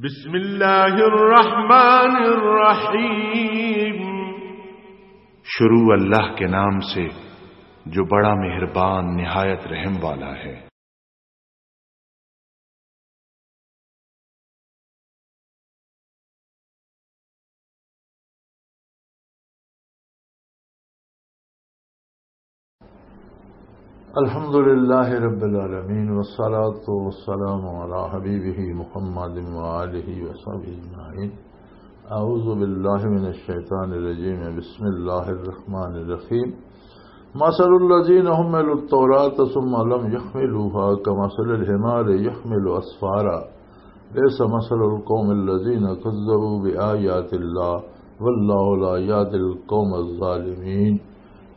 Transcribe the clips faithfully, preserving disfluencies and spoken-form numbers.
بسم اللہ الرحمن الرحیم۔ شروع اللہ کے نام سے جو بڑا مہربان نہایت رحم والا ہے۔ الحمد لله رب العالمين، والصلاة والسلام على حبيبه محمد وآله وصحبه أجمعين. أعوذ بالله من الشيطان الرجيم. بسم الله الرحمن الرحيم. مثل الذين حملوا التوراة ثم لم يحملوها كمثل الحمار يحمل أسفارا. بئس مثل القوم الذين كذبوا بآيات الله والله لا يهدي القوم الظالمين.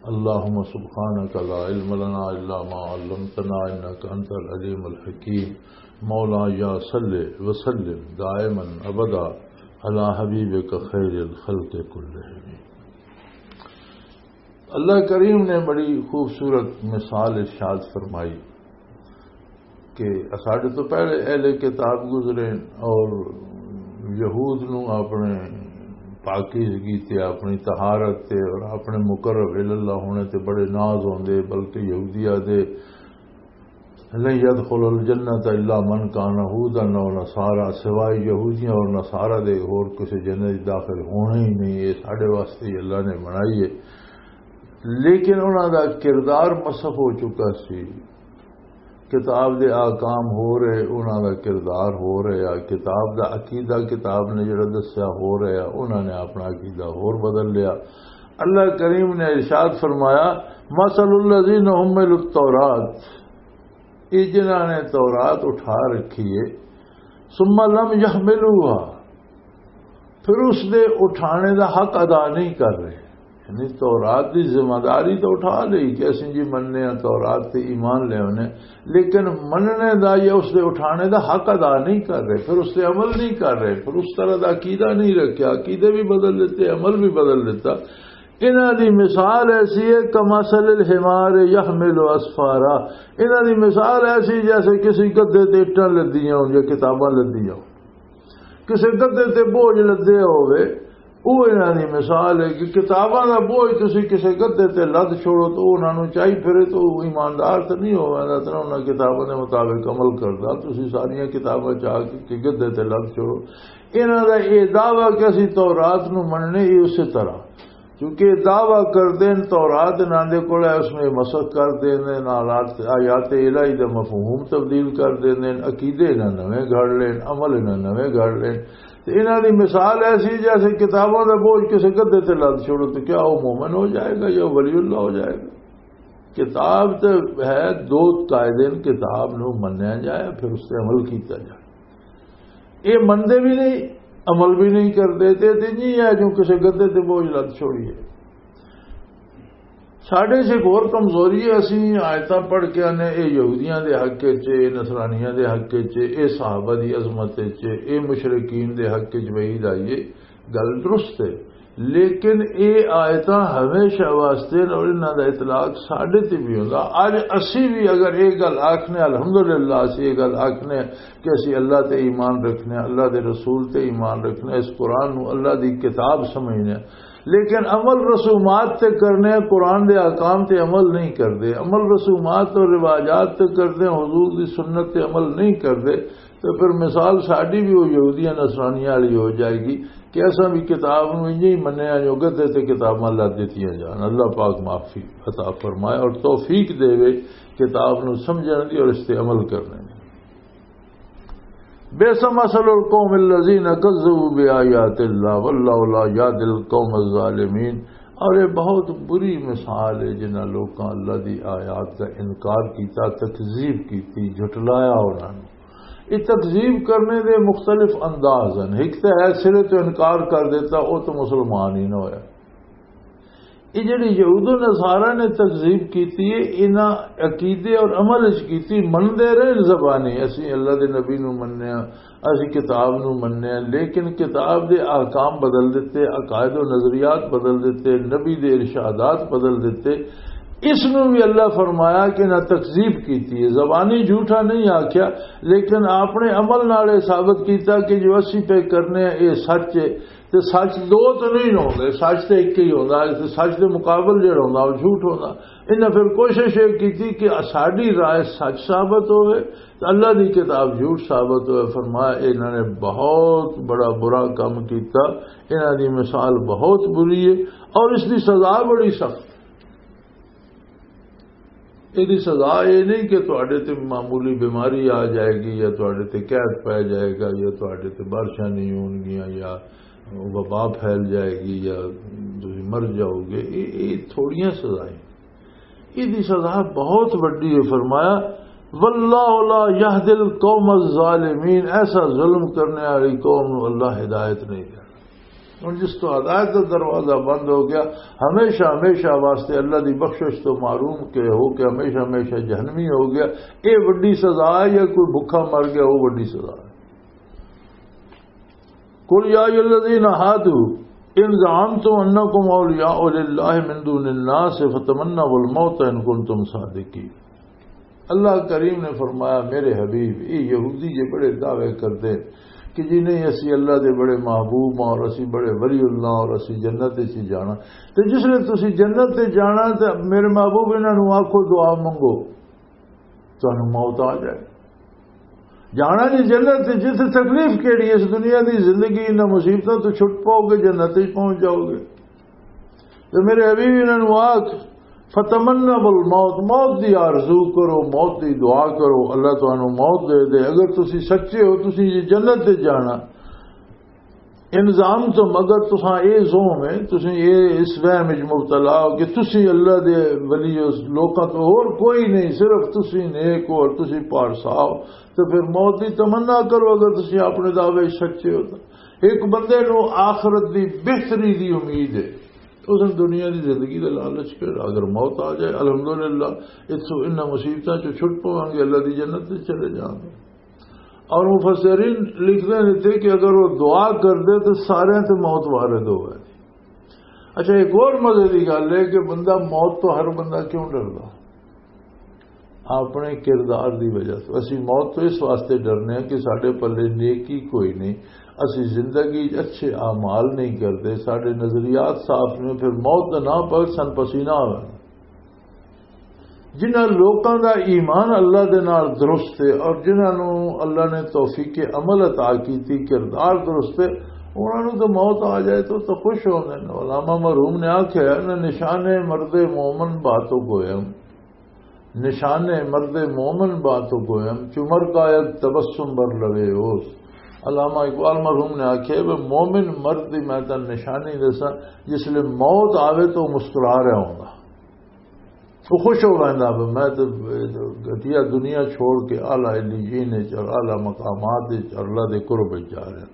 اللهم سبحانك لا علم لنا إلا ما علمتنا إنك أنت العليم الحكيم. مولاي صل وسلم دائما أبدا على حبيبك خير الخلق كلهم. اللہ کریم نے بڑی خوبصورت مثال ارشاد فرمائی کہ اساڈے تو پہلے اہل کتاب گزرے اور یہود نو اپنے پاکیزگی تے، اپنی طہارت تے اور اپنے مقرب اللہ ہونے تے بڑے ناز ہوندے، بلکہ یہودیہ دے لن يدخل الجنة إلا من كان هودا أو نصارى، سوائے یہودیاں اور نصارہ دے ہور کسے جنت وچ داخل ہونا ہی نہیں، یہ ساڈے واسطے ہی اللہ نے بنائی ہے۔ لیکن انہاں دا کردار مسخ ہو چکا سی، کتاب دے احکام ہو رہے، انہاں دا کردار ہو رہا، کتاب دا عقیدہ کتاب نے جڑا دسیا ہو رہا، انہاں نے اپنا عقیدہ ہور بدل لیا۔ اللہ کریم نے ارشاد فرمایا، مثل الذين حملوا التوراة، یہ جنہاں نے تورات اٹھا رکھی ہے، ثم لم يحملوها، پھر اس دے اٹھانے دا حق ادا نہیں کر رہے۔ یعنی تورات دی ذمہ داری تو اٹھا لئی کہ اسیں جی مننے ہاں، تورات تے ایمان لے آنے، لیکن مننے دا یا اس دے اٹھانے دا حق ادا نہیں کر رہے، پھر اس تے عمل نہیں کر رہے، پھر اس طرح دا عقیدہ نہیں رکھیا، عقیدے بھی بدل دیتے، عمل بھی بدل دیتا۔ انہاں دی مثال ایسی ہے، کمثل الحمار یحمل اسفارا۔ انہاں دی مثال ایسی جیسے کسی گدھے تے اٹاں لدیاں ہون یا کتاباں لدیاں ہون۔ کسی گدھے تے بوجھ لدے ہوئے، او انہاں دی مثال ہے کہ کتاباں دا بوجھ تسی کسی گدھے تے لد چھوڑو تو او انہاں نوں چائی پھرے تو او ایماندار تے نہیں ہووندا، تے نہ انہاں کتاباں دے مطابق عمل کردا۔ تسی ساریاں کتاباں چا کے کہ گدھے تے لد چھوڑو۔ انہاں دا یہ دعویٰ کہ اسی تورات نوں مننے، یہ اسی طرح، کیونکہ یہ دعویٰ کر دین تورات انہاں دے کول ہے، اس میں مسخ کر دین، حالات، آیات الہی دا مفہوم تبدیل کر دین، عقیدے انہاں نویں گھڑ لین، عمل انہاں نویں گھڑ لین۔ تے انہاں دی مثال ایسی جیسے کتاباں دا بوجھ کسے گدھے تے لد چھوڑو، تو کیا وہ مومن ہو جائے گا یا ولی اللہ ہو جائے گا؟ کتاب تے ہے، دو قاعدے نے، کتاب نو منیا جائے، پھر اس تے عمل کیتا جائے۔ یہ منتے بھی نہیں، عمل بھی نہیں کرتے، تے تے نہیں ہے جو کسے گدھے تے بوجھ لد چھوڑیے۔ ساڈے چ ایک ہور کمزوری ہے، اسی آیتاں پڑھ کے آنے، اے یہودیاں دے حق وچ، اے نصرانیاں دے حق وچ، اے صحابہ دی عظمت وچ، اے مشرکین دے حق وچ وحید آئی ہے۔ گل درست ہے، لیکن اے آیتاں ہمیشہ واسطے نے اور انہاں دا اطلاق ساڈے تے بھی ہوندا۔ اج اسی بھی اگر اے گل آکھنے، الحمدللہ اسی اے گل آکھنے کہ اسی اللہ تے ایمان رکھنے، اللہ دے رسول تے ایمان رکھنے، اس قرآن نو اللہ دی کتاب سمجھنے، لیکن عمل رسومات تے کرنے، قرآن دے احکام تے عمل نہیں کردے، عمل رسومات اور رواجات تے کردے، حضور دی سنت تے عمل نہیں کردے، تے پھر مثال ساڈی بھی وہ یہودیاں نصرانیاں والی ہو جائے گی کہ اساں بھی کتاب نو انج ہی منیا جو گدھے تے کتاباں لد دتیاں جان۔ اللہ پاک معافی عطا فرمائے اور توفیق دے کتاب نو سمجھن دی اور اس تے عمل کرنے دی۔ بئس مثل القوم الذين كذبوا بآيات الله والله لا يهدي القوم الظالمين۔ اور یہ بہت بری مثال ہے جنہاں لوکاں اللہ دی آیات دا انکار کیتا، تکذیب کیتی، جھٹلایا انہاں نوں۔ یہ تکذیب کرنے دے مختلف انداز ہیں۔ ایک تو ہے سرے تو انکار کر دیتا، وہ تو مسلمان ہی نہ ہویا۔ یہ جڑی یہود و نصارہ نے تکذیب کیتی ہے، انہاں عقیدے اور عمل وچ کیتی، مندے رہے زبانی، اسی اللہ دے نبی نو مننے ہاں، اسی کتاب نو مننے ہاں، لیکن کتاب دے احکام بدل دیتے، عقائد و نظریات بدل دیتے، نبی دے ارشادات بدل دیتے۔ اس نوں بھی اللہ فرمایا کہ نہ تکذیب کیتی ہے، زبانی جھوٹا نہیں آکھیا، لیکن اپنے عمل نال یہ ثابت کیتا کہ جو اسی پہ کرنے ہیں، یہ سچ ہے۔ تے سچ دو تو نہیں ہوندے، سچ تے ایک ہی ہوندا ہے، تے سچ دے مقابل جڑا ہوندا، وہ جھوٹ ہوندا۔ انہاں پھر کوشش یہ کیتی کہ ساڈی رائے سچ ثابت ہوئے، تے اللہ دی کتاب جھوٹ ثابت ہوئے۔ فرمایا، انہاں نے بہت بڑا برا کام کیتا، انہاں دی مثال بہت بری ہے، اور اس دی سزا بڑی سخت۔ یہ سزا یہ نہیں کہ تہاڈے تے معمولی بیماری آ جائے گی، یا تہاڈے تے قید پی جائے گا، یا تہاڈے تے بارشاں نہیں ہون گیاں، یا وبا پھیل جائے گی، یا تسی مر جاؤ گے۔ یہ یہ تھوڑیاں سزائیں، یہ سزا بہت وڈی ہے۔ فرمایا، واللہ لا یہدی القوم الظالمین، ایسا ظلم کرنے والی قوم نو اللہ ہدایت نہیں دینا۔ ہن جس تو ہدایت دا دروازہ بند ہو گیا، ہمیشہ ہمیشہ واسطے اللہ دی بخشش تو محروم کے ہو کے ہمیشہ ہمیشہ جہنمی ہو گیا۔ اے وڈی سزا ہے، یا کوئی بھکھا مر گیا، وہ وڈی سزا ہے۔ قل یا ایھا الذین ھادوا ان زعمتم انکم اولیاء للہ من دون الناس فتمنوا الموت ان کنتم صادقین۔ اللہ کریم نے فرمایا، میرے حبیب، یہ یہودی یہ بڑے دعوے کرتے ہیں کہ جی نہیں، اسی اللہ دے بڑے محبوب ہاں اور اسی بڑے ولی اللہ اور اسی جنت وچ ہی جانا۔ تے جس نے تسی جنت تے جانا، تے میرے محبوب، انہاں نوں آکھو، دعا منگو، تانوں موت آ جائے۔ جانا جی جنت تے، جتھے تکلیف کیڑی ہے؟ اس دنیا دی زندگی، انہاں مصیبتاں تو چھٹ پاؤ گے، جنت وچ پہنچ جاؤ گے۔ تے میرے حبیب، انہاں نوں آکھ، فتمنوا الموت، موت دی آرزو کرو، موت دی دعا کرو، اللہ تانوں موت دے دے۔ اگر تسی سچے ہو، تسی جی جنت تے جانا، ان زعمتم، اگر تساں اے زوم ہے، تسی اے اس وہم وچ مبتلا ہو کہ تسی اللہ دے ولی ہو، لوکاں تو اور کوئی نہیں، صرف تسی نیک ہو اور تسی پارسا ہو، تو پھر موت دی تمنا کرو اگر تسی اپنے دعوے وچ سچے ہو تو۔ ایک بندے نو آخرت دی بہتری دی امید ہے، اس نے دنیا دی زندگی دا لالچ کر، اگر موت آ جائے، الحمدللہ، اتھوں انہاں مصیبتاں چوں چھٹ پواں گے، اللہ دی جنت وچ چلے جاؤں گے۔ اور مفسرین لکھتے ہیں تھے کہ اگر وہ دعا کر دے تو سارے تے موت وارد ہو گئے۔ اچھا، ایک اور مزے کی گل ہے کہ بندہ موت تو ہر بندہ کیوں ڈردا؟ اپنے کردار دی وجہ سے۔ اسی موت تو اس واسطے ڈرنے ہیں کہ ساڈے پلے نیکی کوئی نہیں، اسی زندگی اچھے اعمال نہیں کرتے، ساڈے نظریات صاف نہیں، پھر موت دا نام پر سن پسینہ ہونا۔ جنہاں لوکاں دا ایمان اللہ دے نال درست ہے اور جنہاں نوں اللہ نے توفیق عمل عطا کیتی، کردار درست ہے، انہاں نوں تو موت آ جائے تو تو خوش ہوندے نے۔ علامہ مرحوم نے آکھیا، نہ نشان مرد مومن باتو گویم، نشان مرد مومن باتو گویم، چمر کا یک تبسم بر لبے اوست۔ علامہ اقبال مرحوم نے آکھیا، وہ مومن مرد دی میں تاں نشانی دساں، جس لے موت آوے تو مسکرا رہا ہوندا۔ وہ خوش ہو ویندا، "میں تے گھٹیا دنیا چھوڑ کے اعلیٰ علیین وچ اور اعلیٰ مقامات وچ اور اللہ دے قرب وچ جا رہا۔"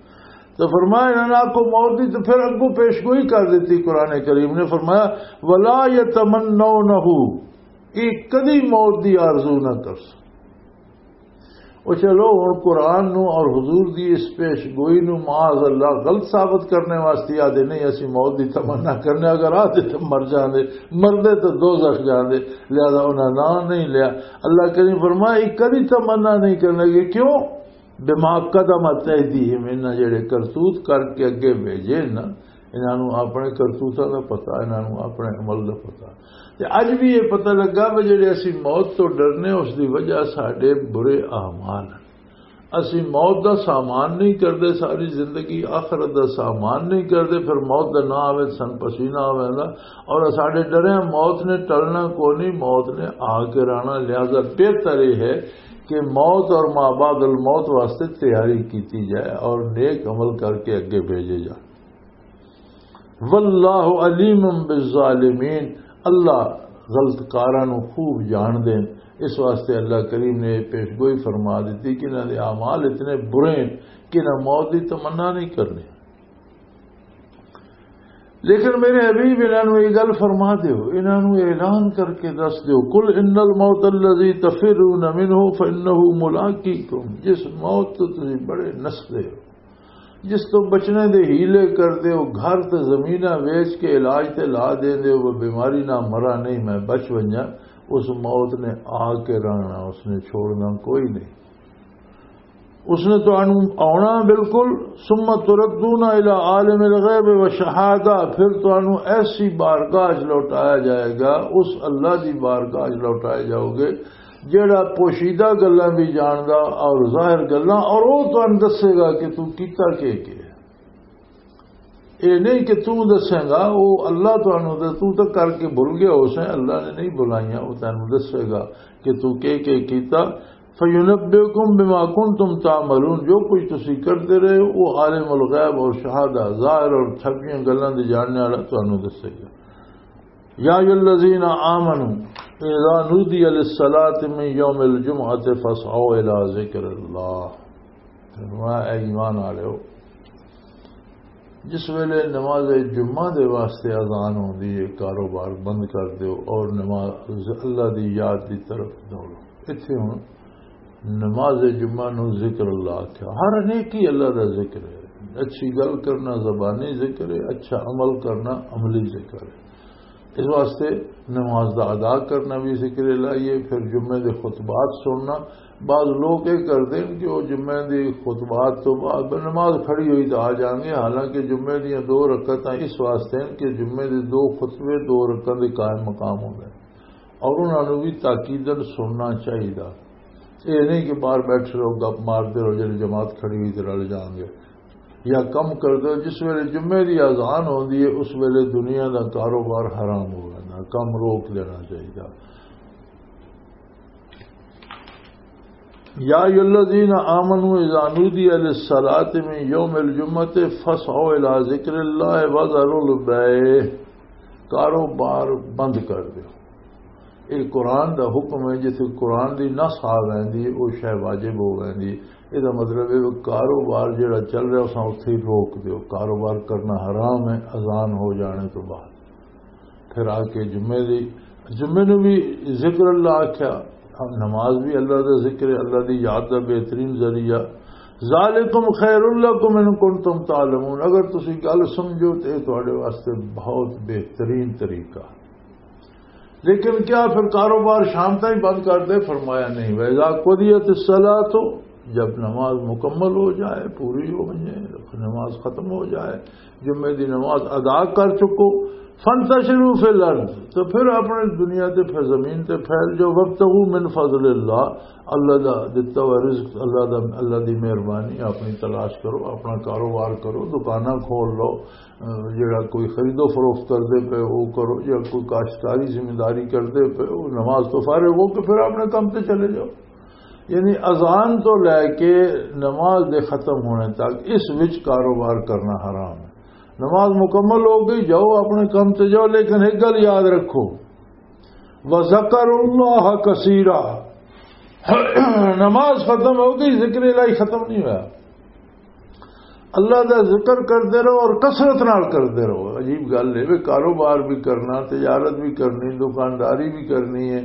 تو فرمایا، انہاں نے آکھو موت دی، تو پھر اگوں پیش گوئی کر دیتی۔ قرآن کریم نے فرمایا، "ولا یتمنونہ"، یہ کدی موت دی آرزو نہ کر سکتے۔ او چلو، ہن قرآن نو اور حضور دی اس پیش گوئی نو معاذ اللہ غلط ثابت کرنے واسطے آدھے نہیں، اسی موت دی تمنا کرنے، اگر آدھے تو مر جاندے، مردے تو دوزخ جاندے، لہذا انہاں نام نہیں لیا۔ اللہ کریم فرمایا، یہ کبھی تمنا نہیں کرنے گے۔ کیوں؟ بما قدمت ایدیہم، انہاں جڑے کرتوت کر کے اگے بھیجے نا، انہاں نوں اپنے کرتوتاں دا پتہ، انہاں نوں اپنے عمل دا پتہ۔ تے اج بھی یہ پتہ لگا کہ جڑے اسی موت تو ڈرنے، اس دی وجہ ساڈے برے اعمال ہیں۔ اسی موت دا سامان نہیں کردے، ساری زندگی آخرت دا سامان نہیں کردے، پھر موت دا نہ آوے، سن پسینہ آوے دا۔ اور ساڈے ڈرے موت نے ٹلنا کو نہیں، موت نے آ کے رہنا۔ لہذا بہتر یہ ہے کہ موت اور ما بعد الموت واسطے تیاری کیتی جائے اور نیک عمل کر کے اگے بھیجے جائے۔ واللہ علیم بالظالمین، اللہ غلط کاراں نوں خوب جان دین۔ اس واسطے اللہ کریم نے یہ پیش گوئی فرما دیتی کہ انہاں دے اعمال اتنے برے ہیں کہ انہاں موت دی تمنا نہیں کرنی۔ لیکن میرے حبیب، انہاں نوں یہ گل فرما دیو، انہاں نوں اعلان کر کے دس دیو، "قل ان الموت الذی تفرون منہ فانہ ملاقیکم"، جس موت تو تسی بڑے نسدے ہو، جس تو بچنے دے ہیلے کردے ہو، گھر تے زمیناں ویچ کے علاج تے لا دیندے ہو، وہ بیماری نہ مرا نہیں، میں بچ ونجا، اس موت نے آ کے رہنا، اس نے چھوڑنا کوئی نہیں۔ اس نے تانوں آنا بالکل۔ ثم تردون الی عالم الغیب و شہادہ، پھر تانوں ایسی بارگاہ 'چ لوٹایا جائے گا، اس اللہ دی بارگاہ 'چ لوٹائے جاؤ گے، جیڑا پوشیدہ گلاں بھی جاندا اور ظاہر گلاں، اور وہ تانوں دسے گا کہ تو کیتا کے کے۔ اے نہیں کہ تو دسے گا، وہ اللہ تانوں دے، تو تو کر کے بھول گیا ہو سیں، اللہ نے نہیں بلائیاں، وہ تانوں دسے گا کہ تو کے کے کیتا۔ فَيُنَبِّئُكُم بِمَا كُنتُمْ تَعْمَلُونَ، جو کچھ تسی کرتے رہے ہو، وہ عالم الغیب اور شہادہ، ظاہر اور چھپیاں گلاں دے جاننے والا تانوں دسے گا۔ یا ایھا الذین آمنوا اذا نودی للصلاۃ من یوم الجمعۃ فاسعوا الی ذکر اللہ۔ فرمایا، اے ایمان والو، جس ویلے نماز جمعہ دے واسطے اذان ہوندی ہے، کاروبار بند کر دیو اور نماز اللہ دی یاد دی طرف دوڑو۔ اتھے ہن نماز جمعہ نو ذکر اللہ آکھیا۔ ہر نیکی اللہ دا ذکر ہے۔ اچھی گل کرنا زبانی ذکر ہے، اچھا عمل کرنا عملی ذکر ہے۔ اس واسطے نماز دا ادا کرنا بھی ذکر الہی ہے۔ پھر جمعے دے خطبات سننا، بعض لوگ یہ کرتے ہیں کہ وہ جمعے دی خطبات تو بعد نماز کھڑی ہوئی تو آ جان گے، حالانکہ جمعے دیاں دو رکعتاں اس واسطے ہیں کہ جمعے دے دو خطبے دو رکعتاں دے قائم مقام ہو گئے، اور انہاں نوں بھی تاکیدن سننا چاہیے۔ یہ نہیں کہ باہر بیٹھے رہو، گپ مارتے رہو، جب جماعت کھڑی ہوئی تو رل جان گے۔ یا کم کر دو، جس ویلے جمعے دی اذان ہوندی ہے، اس ویلے دنیا دا کاروبار حرام ہو جانا، کم روک دینا چاہیے۔ یا ایھا الذین آمنوا اذا نودی للصلاۃ من یوم الجمعۃ فاسعوا الی ذکر اللہ وذروا البیع، کاروبار بند کر دیو۔ یہ قرآن دا حکم ہے، جتھے قرآن دی نص آ ویندی ہے، وہ شے واجب ہو ویندی ہے۔ یہ دا مطلب ہے کہ کاروبار جڑا چل رہا، اساں اتھے ہی روک دیو۔ کاروبار کرنا حرام ہے اذان ہو جانے تو بعد۔ پھر آ کے جمعے دی، جمعے نو بھی ذکر اللہ آکھیا۔ نماز بھی اللہ دا ذکر ہے، اللہ دی یاد دا بہترین ذریعہ۔ ذالکم خیر لکم ان کنتم تعلمون، اگر تسی گل سمجھو تو یہ تواڈے واسطے بہت بہترین طریقہ۔ لیکن کیا پھر کاروبار شام تائیں بند کر دے؟ فرمایا نہیں۔ وَإِذَا قُضِيَتِ الصَّلَاةُ، جب نماز مکمل ہو جائے، پوری ہو جائے، نماز ختم ہو جائے، جمعے دی نماز ادا کر چکو، فَانْتَشِرُوا فِي الْأَرْضِ، تو پھر اپنے دنیا تے، پھر زمین تے پھیل جاؤ، وَابْتَغُوا مِنْ فَضْلِ اللَّهِ، اللہ دا دتا ہوا رزق، اللہ دا، اللہ دی مہربانی اپنی تلاش کرو، اپنا کاروبار کرو، دکاناں کھول لو، جڑا کوئی خرید و فروخت کردے پے، وہ کرو، یا کوئی کاشتکاری ذمہ داری کردے پے، وہ نماز تو فارغ ہو کے پھر اپنے کام تے چلے جاؤ۔ یعنی اذان تو لے کے نماز دے ختم ہونے تک اس وچ کاروبار کرنا حرام ہے۔ نماز مکمل ہو گئی، جاؤ اپنے کام تے جاؤ، لیکن ایک گل یاد رکھو، وَذَكَرُوا اللَّهَ كَثِيرًا۔ نماز ختم ہو گئی، ذکر الہی ختم نہیں ہوا۔ اللہ دا ذکر کردے رہو اور کثرت نال کردے رہو۔ عجیب گل ہے، وے کاروبار بھی کرنا، تجارت بھی کرنی، دکانداری بھی کرنی ہے،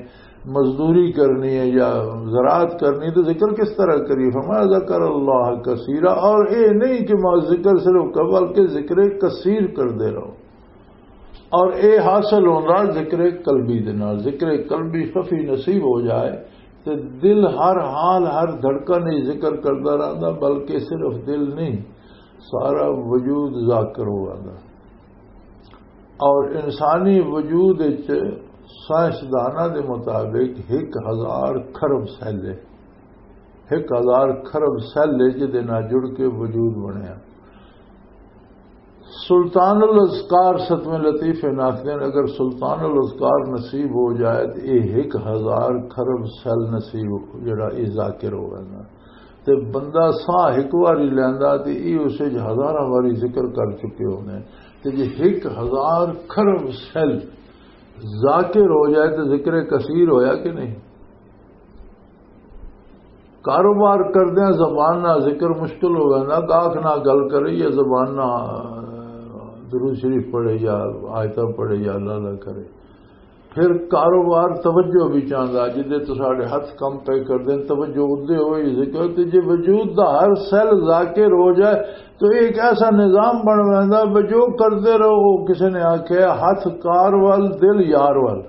مزدوری کرنی ہے یا زراعت کرنی، تو ذکر کس طرح کریے؟ فرمایا، ذکر اللہ کثیرا، اور اے نہیں کہ ما ذکر صرف کر، بلکہ ذکر کثیر کردے رہو۔ اور اے حاصل ہوندا ذکر قلبی دے نال۔ ذکر قلبی خفی نصیب ہو جائے تے دل ہر حال، ہر دھڑکن وچ ذکر کردا رہندا، بلکہ صرف دل نہیں، سارا وجود ذاکر ہو جاندا۔ اور انسانی وجود وچ سائنسداناں دے مطابق ایک ہزار کھرب سیل ہے، ایک ہزار کھرب سیل ہے جدے نال جڑ کے وجود بنیا۔ سلطان الاذکار ستویں لطیفے ناخدین، اگر سلطان الاذکار نصیب ہو جائے تو یہ ایک ہزار کھرب سیل نصیب، جڑا یہ ذاکر ہو گیا نا، تے بندہ ساہ ایک واری لیندا تے یہ اس وچ ہزاراں واری ذکر کر چکے ہونے۔ تے جے ایک ہزار کھرب سیل ذاکر ہو جائے تو ذکر کثیر ہویا کہ نہیں؟ کاروبار کردیاں زبان نہ ذکر مشکل ہو گیا نا، گاہک نہ گل کرے یا زبان نہ درود شریف پڑھے یا آیتاں پڑھے یا اللہ اللہ کرے۔ پھر کاروبار توجہ بھی چاہتا، جدے تو ساڈے ہاتھ کم پے کردے ہیں، توجہ ادے ہوئی ذکر۔ تے جے وجود دا ہر سیل ذاکر ہو جائے تو ایک ایسا نظام بن ویندا، جو کردے رہو۔ وہ کسی نے آخیا، ہاتھ کار ول، دل یار ول۔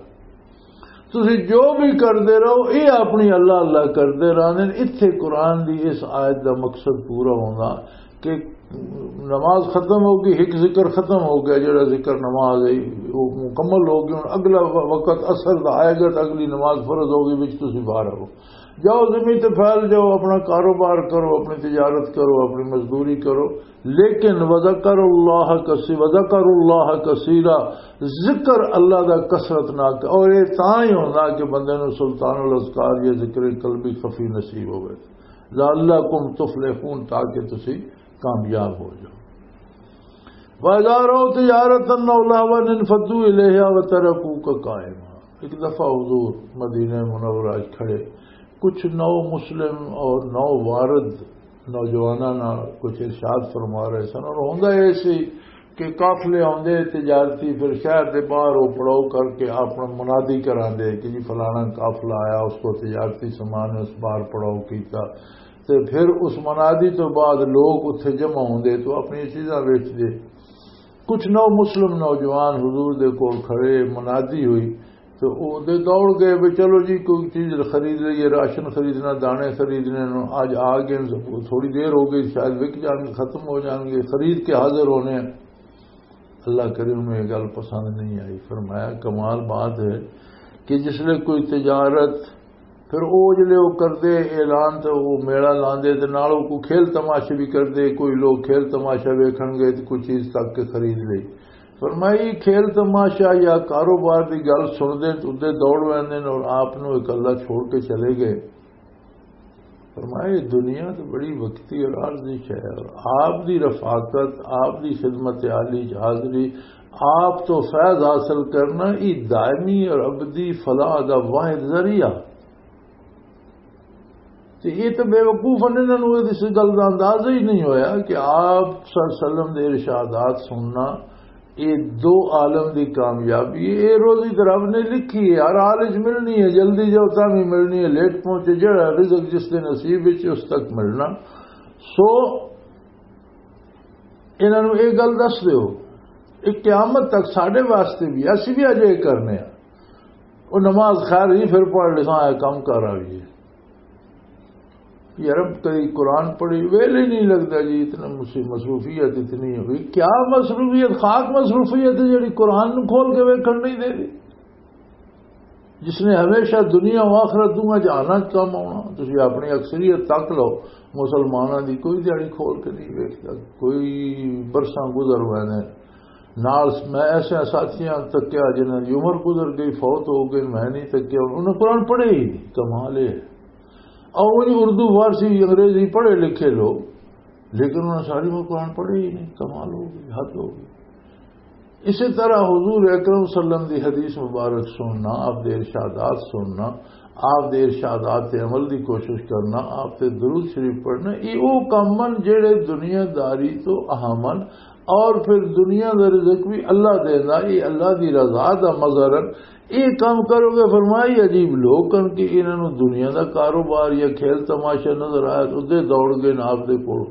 تسی جو بھی کردے رہو، یہ اپنی اللہ اللہ کردے رہندے نے۔ اتھے قرآن دی اس آیت دا مقصد پورا ہوندا کہ نماز ختم ہو گئی، ایک ذکر ختم ہو گیا، جڑا ذکر نماز ہے، وہ مکمل ہو گئی۔ ہن اگلا و-، وقت اثر دا آئے گا، تو اگلی نماز فرض ہو گئی، وچ تسی باہر ہو۔ جاؤ زمین تے پھیل جاؤ، اپنا کاروبار کرو، اپنی تجارت کرو، اپنی مزدوری کرو، لیکن وذکر اللہ کثی-، وذکر اللہ کثیرا، ذکر اللہ دا کثرت نہ کر۔ اور یہ تاں ہی ہوندا کہ بندے نوں سلطان الاذکار یا ذکر قلبی خفی نصیب ہوئے، لعلکم تفلحون، تاکہ تسی کامیاب ہو جاؤ۔ وَإِذَا رَأَوْا تِجَارَةً أَوْ لَهْوًا انفَضُّوا إِلَيْهَا وَتَرَكُوكَ قَائِمًا۔ ایک دفعہ حضور مدینہ منورہ وچ کھڑے، کچھ نو مسلم اور نو وارد نوجواناں نال کچھ ارشاد فرما رہے سن، اور ہوندا اے سی کہ قافلے آندے تجارتی، پھر شہر دے باہر او پڑاؤ کر کے اپنا منادی کراندے کہ جی فلانا قافلہ آیا، اس کو تجارتی سامان اس باہر پڑاؤ کیتا۔ تے پھر اس منادی تو بعد لوگ اتھے جمع ہوندے تو اپنی چیزاں ویچدے۔ کچھ نو مسلم نوجوان حضور دے کول کھڑے، منادی ہوئی، تو او دے دوڑ گئے بھی چلو جی کوئی چیز خرید لئیے، راشن خریدنا، دانے خریدنے نو۔ اج آ گئے، تھوڑی دیر ہو گئی، شاید وک جان گے، ختم ہو جان گے، خرید کے حاضر ہونے ہیں۔ اللہ کریم نوں یہ گل پسند نہیں آئی۔ فرمایا، کمال بات ہے کہ جس لئے کوئی تجارت، پھر او جلے او کردے اعلان تے او میلہ لاندے تے نال او کوئی کھیل تماشے بھی کردے، کوئی لوگ کھیل تماشا ویکھن گئے تے کوئی چیز تک کے خرید لئی۔ فرمایا، یہ کھیل تماشا یا کاروبار دی گل سن دے تے ادے دوڑ ویندے نے اور آپ نوں اکلا چھوڑ کے چلے گئے۔ فرمایا، یہ دنیا تو بڑی وقتی اور عارضی شے ہے۔ آپ دی رفاقت، آپ دی خدمت عالی چ حاضری، آپ تو فیض حاصل کرنا، یہ دائمی اور ابدی فلاح دا واحد ذریعہ۔ تے یہ تو بے وقوف نے، انہاں نوں اس گل دا اندازہ ہی نہیں ہویا کہ آپ صلی اللہ علیہ وسلم دے ارشادات سننا، یہ دو عالم دی کامیابی ہے۔ یہ روزی تو رب نے لکھی ہے، ہر حال وچ ملنی ہے، جلدی جاؤ تاں بھی ملنی ہے، لیٹ پہنچے، جڑا رزق جس دے نصیب وچ اس تک ملنا۔ سو انہاں نوں یہ گل دس دیو، یہ قیامت تک ساڈے واسطے بھی، اسی بھی اجے کرنے ہیں۔ وہ نماز خیر ہی پھر پڑھ لساں، اے کم کر آئیے۔ یار، اب کئی قرآن پڑھی، ویل ہی نہیں لگتا جی، اتنا مص-، مصروفیت اتنی ہوئی۔ کیا مصروفیت؟ خاک مصروفیت ہے جڑی قرآن نوں کھول کے ویکھن نہیں دے رہی۔ جس نے ہمیشہ دنیا و آخرت دونوں جہاناں چ کم آنا۔ تسی اپنی اکثریت تک لو، مسلماناں دی کوئی دیہاڑی کھول کے نہیں ویکھدا، کوئی برساں گزر ہوئے نے۔ نال میں ایسے ساتھیاں تکیا جنہاں دی عمر گزر گئی، فوت ہو گئے، میں نہیں تکیا، انہاں قرآن پڑھے ہی نہیں۔ کمال ہے۔ اور وہی اردو، فارسی، انگریزی پڑھے لکھے لوگ، لیکن انہاں ساری عمر قرآن پڑھے ہی نہیں۔ کمال ہو گئی، حد ہو گئی۔ اسی طرح حضور اکرم صلی اللہ علیہ وسلم دی حدیث مبارک سننا، آپ دے ارشادات سننا، آپ دے ارشادات تے عمل دی کوشش کرنا، آپ تے درود شریف پڑھنا، یہ وہ کم ہن جڑے دنیا داری تو اہم ہن، اور پھر دنیا دا رزق بھی اللہ دیندا، یہ اللہ دی رضا دا مظہر ہن۔ یہ کام کرو گے، فرمائی عجیب لوگ ہن کہ انہاں نوں دنیا دا کاروبار یا کھیل تماشا نظر آیا تو ادے دوڑ گئے نال آپ دے کول۔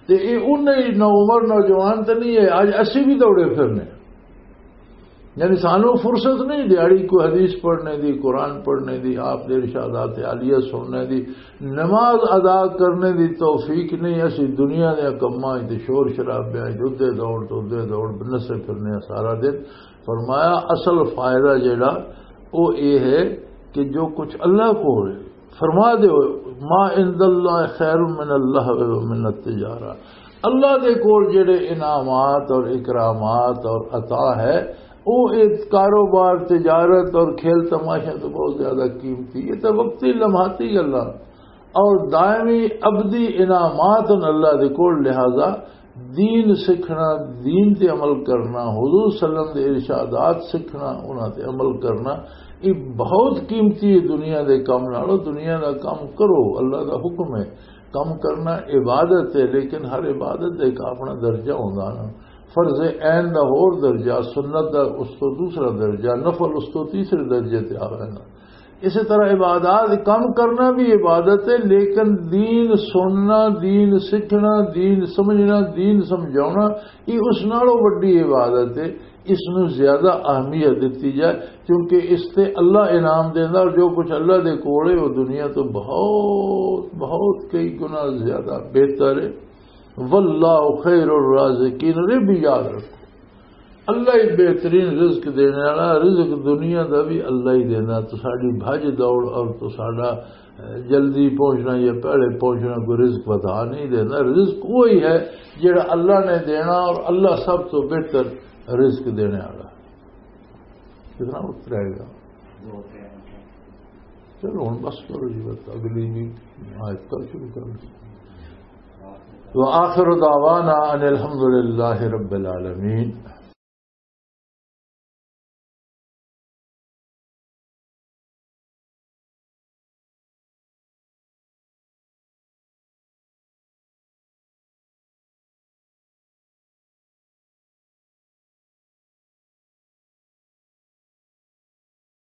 تے یہ انہیں نو عمر نوجوان تے نہیں ہے، اج اسی بھی دوڑے پھرنے۔ یعنی سانو فرصت نہیں دیہاڑی کوئی حدیث پڑھنے دی، قرآن پڑھنے دی، آپ دے ارشادات عالیہ سننے دی، نماز ادا کرنے دی توفیق نہیں۔ اسی دنیا دے کماں وچ تے شور شرابیاں وچ ادے دوڑ تو ادے دوڑ نسے پھرنے سارا دن۔ فرمایا اصل فائدہ جڑا او اے ہے کہ جو کچھ اللہ کول ہے، فرما دے، ما عند اللہ خیر من اللہ و من التجارہ۔ اللہ دے کول جڑے انعامات اور اکرامات اور عطا ہے، وہ ایک کاروبار، تجارت اور کھیل تماشا تو بہت زیادہ قیمتی۔ یہ تو وقتی لمحاتی گلاں اور دائمی ابدی انعامات ہیں اللہ دے کول۔ لہذا دین سکھنا، دین تے عمل کرنا، حضور صلی اللہ علیہ وسلم دے ارشادات سکھنا، انہاں تے عمل کرنا، یہ بہت قیمتی ہے دنیا دے کم نالوں۔ دنیا دا کم کرو، اللہ دا حکم ہے، کم کرنا عبادت ہے، لیکن ہر عبادت دا ایک اپنا درجہ ہوندا نا۔ فرض عین دا ہور درجہ، سنت دا اس تو دوسرا درجہ، نفل اس تو تیسرے درجے تے آ وینا۔ اسی طرح عبادات، کم کرنا بھی عبادت ہے، لیکن دین سننا، دین سکھنا، دین سمجھنا، دین سمجھاؤنا، یہ اس نالوں وڈی عبادت ہے۔ اس نو زیادہ اہمیت دتی جائے، کیونکہ اس تے اللہ انعام دیندا، اور جو کچھ اللہ دے کول ہے، وہ دنیا تو بہت، بہت کئی گنا زیادہ بہتر ہے۔ واللہ خیر الرازقین، یہ بھی یاد رکھو، اللہ ہی بہترین رزق دینے والا، رزق دنیا دا بھی اللہ ہی دینا۔ تو ساڈی بھج دوڑ اور تو ساڈا، اے، جلدی پہنچنا یا پہلے پہنچنا کوئی رزق بتا نہیں دینا۔ رزق وہی ہے جڑا اللہ نے دینا، اور اللہ سب تو بہتر رزق دینے والا۔ کتنا وقت رہ گیا؟ چلو ہن بس کرو جی، بس اگلی بھی آیت کل شروع کرو۔ وآخر دعوانا ان الحمد للہ رب العالمین۔